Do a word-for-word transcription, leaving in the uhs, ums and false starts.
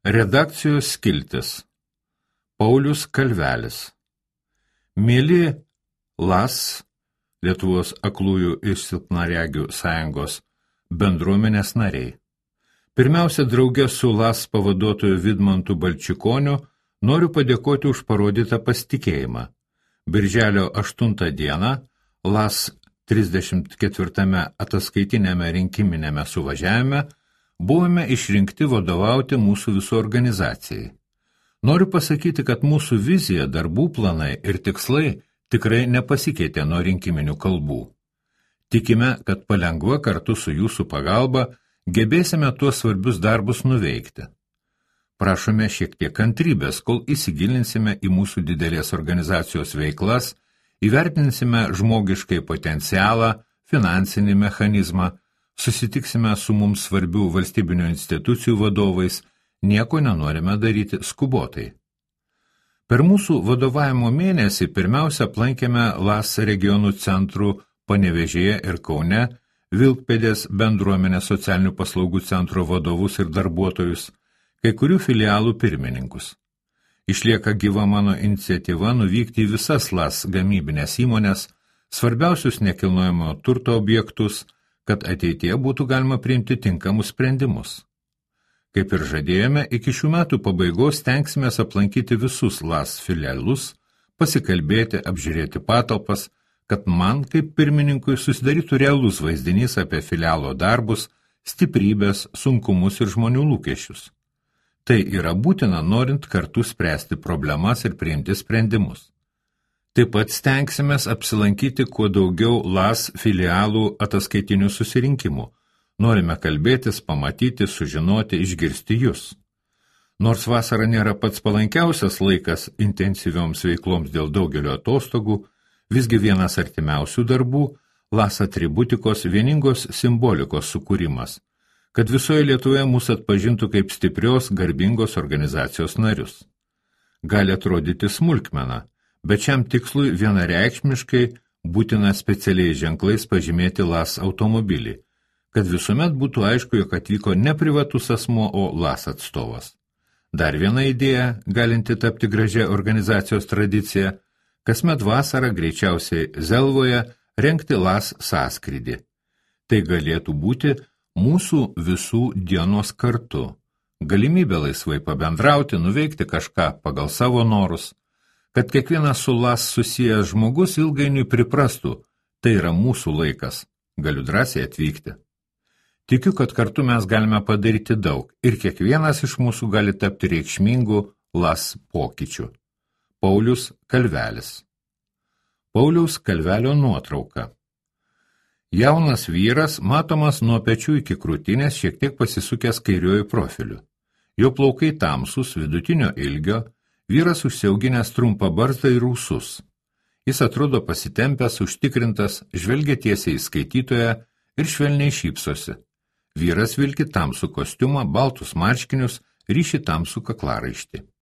Redakcijos skiltis. Paulius Kalvelis. Mėly LAS, Lietuvos aklųjų ir silpnaregių sąjungos bendruomenės nariai. Pirmiausia, drauge su LAS pavaduotoju Vidmantu Balčikoniu noriu padėkoti už parodytą pasitikėjimą. Birželio aštuntą dieną LAS trisdešimt ketvirtame ataskaitinėme rinkiminėme suvažiavime buvome išrinkti vadovauti mūsų visų organizacijai. Noriu pasakyti, kad mūsų vizija, darbų planai ir tikslai tikrai nepasikeitė nuo rinkiminių kalbų. Tikime, kad palengva kartu su jūsų pagalba gebėsime tuos svarbius darbus nuveikti. Prašome šiek tiek kantrybės, kol įsigilinsime į mūsų didelės organizacijos veiklas, įvertinsime žmogiškai potencialą, finansinį mechanizmą, susitiksime su mums svarbių valstybinių institucijų vadovais, nieko nenorime daryti skubotai. Per mūsų vadovavimo mėnesį pirmiausia aplankėme LAS regionų centrų Panevėžyje ir Kaune, Vilkpėdės bendruomenės socialinių paslaugų centro vadovus ir darbuotojus, kai kurių filialų pirmininkus. Išlieka gyva mano iniciatyva nuvykti į visas LAS gamybinės įmonės, svarbiausius nekilnojamo turto objektus, kad ateityje būtų galima priimti tinkamus sprendimus. Kaip ir žadėjome, iki šių metų pabaigos stengsimės aplankyti visus LAS filialus, pasikalbėti, apžiūrėti patalpas, kad man kaip pirmininkui susidarytų realus vaizdinys apie filialo darbus, stiprybės, sunkumus ir žmonių lūkesčius. Tai yra būtina, norint kartu spręsti problemas ir priimti sprendimus. Taip pat stengsimės apsilankyti kuo daugiau LAS filialų ataskaitinių susirinkimų. Norime kalbėtis, pamatyti, sužinoti, išgirsti jūs. Nors vasara nėra pats palankiausias laikas intensyvioms veikloms dėl daugelio atostogų, visgi vienas artimiausių darbų LAS atributikos vieningos simbolikos sukūrimas, kad visoje Lietuvoje mūsų atpažintų kaip stiprios, garbingos organizacijos narius. Gali atrodyti smulkmena, bet šiam tikslui vienareikšmiškai būtina specialiais ženklais pažymėti LAS automobilį, kad visuomet būtų aišku, jog atvyko ne privatus asmuo, o LAS atstovas. Dar viena idėja, galinti tapti gražia organizacijos tradicija, kasmet vasarą greičiausiai Zelvoje rengti LAS sąskrydį. Tai galėtų būti mūsų visų dienos kartu, galimybė laisvai pabendrauti, nuveikti kažką pagal savo norus, kad kiekvienas su LAS susijęs žmogus ilgainiui priprastų, tai yra mūsų laikas, galiu drąsiai atvykti. Tikiu, kad kartu mes galime padaryti daug ir kiekvienas iš mūsų gali tapti reikšmingų LAS pokyčių. Paulius Kalvelis. Pauliaus Kalvelio nuotrauka. Jaunas vyras, matomas nuo pečių iki krūtinės, šiek tiek pasisukęs kairiuoju profiliu. Jo plaukai tamsus, vidutinio ilgio, vyras užsiauginęs trumpą barzdą ir ūsus. Jis atrodo pasitempęs, užtikrintas, žvelgia tiesiai į skaitytoją ir švelniai šypsosi. Vyras vilki tamsų kostiumą, baltus marškinius, ryši tamsų kaklaraištį.